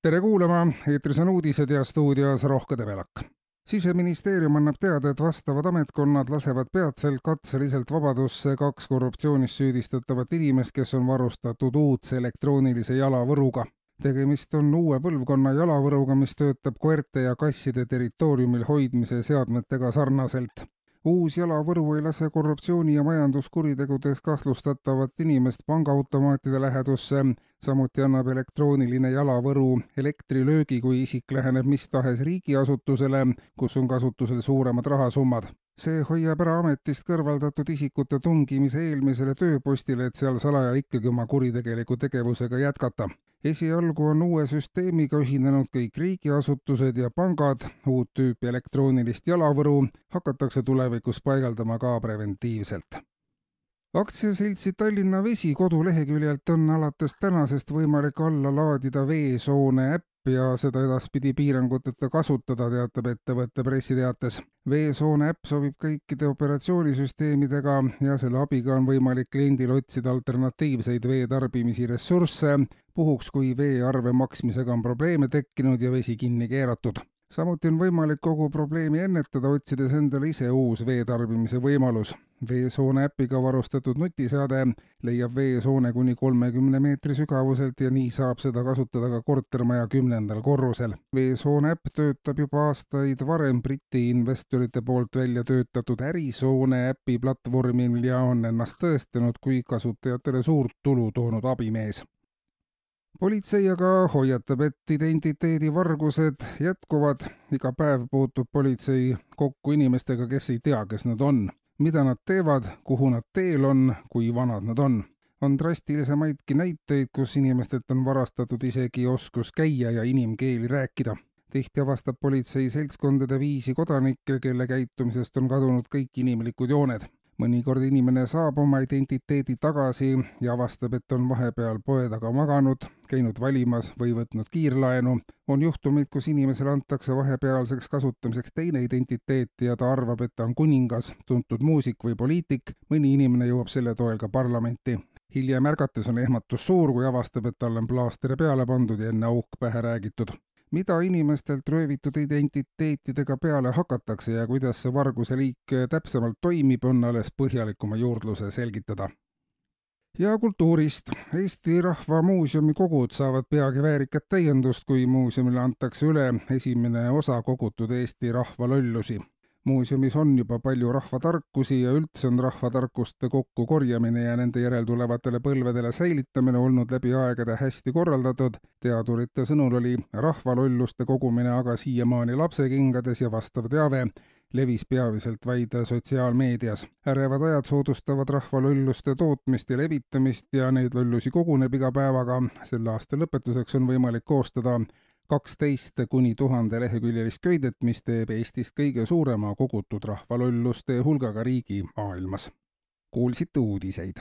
Tere kuulama, eetris on uudised ja stuudios Rohke Debelak. Siseministeerium annab teada, et vastavad ametkonnad lasevad peatselt katseliselt vabadusse 2 korruptsioonis süüdistatavat inimest, kes on varustatud uudse elektroonilise jalavõruga. Tegemist on uue põlvkonna jalavõruga, mis töötab koerte ja kasside territooriumil hoidmise seadmetega sarnaselt. Uus jalavõru ei lase korruptsiooni ja majanduskuritegudes kahtlustatavat inimest pangaautomaatide lähedusse. Samuti annab elektrooniline jalavõru elektrilöögi, kui isik läheneb mis tahes riigiasutusele, kus on kasutusel suuremad rahasummad. See hoiab ära ametist kõrvaldatud isikute tungimise eelmisele tööpostile, et seal salaja ikkagi oma kuritegeliku tegevusega jätkata. Esialgu on uue süsteemiga ühinenud kõik riigiasutused ja pangad. Uut tüüpi elektroonilist jalavõru hakatakse tulevikus paigaldama ka preventiivselt. Aktsiaseltsi Tallinna Vesi koduleheküljelt on alates tänasest võimalik alla laadida Veesoone äpp ja seda edaspidi piiranguteta kasutada, teatab ettevõtte pressiteates. Veesoone äpp sobib kõikide operatsioonisüsteemidega ja selle abiga on võimalik kliendil otsida alternatiivseid veetarbimise ressursse, puhuks kui veearve maksmisega on probleeme tekkinud ja vesi kinni keeratud. Samuti on võimalik kogu probleemi ennetada, otsides endale ise uus veetarbimise võimalus. Veesoone äpiga varustatud nutiseade leiab veesoone kuni 30 meetri sügavuselt ja nii saab seda kasutada ka kortermaja 10. korrusel. Veesoone äpp töötab juba aastaid varem Briti investorite poolt välja töötatud ärisoone äpi platvormil ja on ennast tõestanud kui kasutajatele suurt tulu toonud abimees. Politsei aga hoiatab, et identiteedivargused jätkuvad. Iga päev puutub politsei kokku inimestega, kes ei tea, kes nad on, mida nad teevad, kuhu nad teel on, kui vanad nad on. On drastilisemaidki näiteid, kus inimestelt on varastatud isegi oskus käia ja inimkeeli rääkida. Tihti avastab politsei seltskondade viisi kodanikke, kelle käitumisest on kadunud kõik inimlikud jooned. Mõnikord inimene saab oma identiteedi tagasi ja avastab, et on vahepeal poe taga maganud, käinud valimas või võtnud kiirlaenu. On juhtumid, kus inimesele antakse vahepealseks kasutamiseks teine identiteet ja ta arvab, et ta on kuningas, tuntud muusik või poliitik. Mõni inimene jõuab selle toel ka parlamenti. Hiljem ärgates on ehmatus suur, kui avastab, et talle on plaaster peale pandud ja enne auk pähe räägitud. Mida inimestelt röövitud identiteetidega peale hakatakse ja kuidas see varguse liik täpsemalt toimib, on alles põhjalikuma juurdluse selgitada. Ja kultuurist. Eesti Rahva Muuseumi kogud saavad peagi väärikat täiendust, kui muuseumile antakse üle esimene osa kogutud Eesti rahvalollusi. Muuseumis on juba palju rahvatarkusi ja üldse on rahvatarkuste kokkukorjamine ja nende järeltulevatele põlvedele säilitamine olnud läbi aegade hästi korraldatud. Teadurite sõnul oli rahvalolluste kogumine aga siiamaani lapsekingades ja vastav teave levis peamiselt vaid sotsiaalmeedias. Ärevad ajad soodustavad rahvalolluste tootmist ja levitamist ja neid lollusi koguneb iga päevaga. Selle aasta lõpetuseks on võimalik koostada 12 kuni 1000 leheküljelist köidet, mis teeb Eestist kõige suurema kogutud rahvalolluste hulgaga riigi maailmas. Kuulsite uudiseid.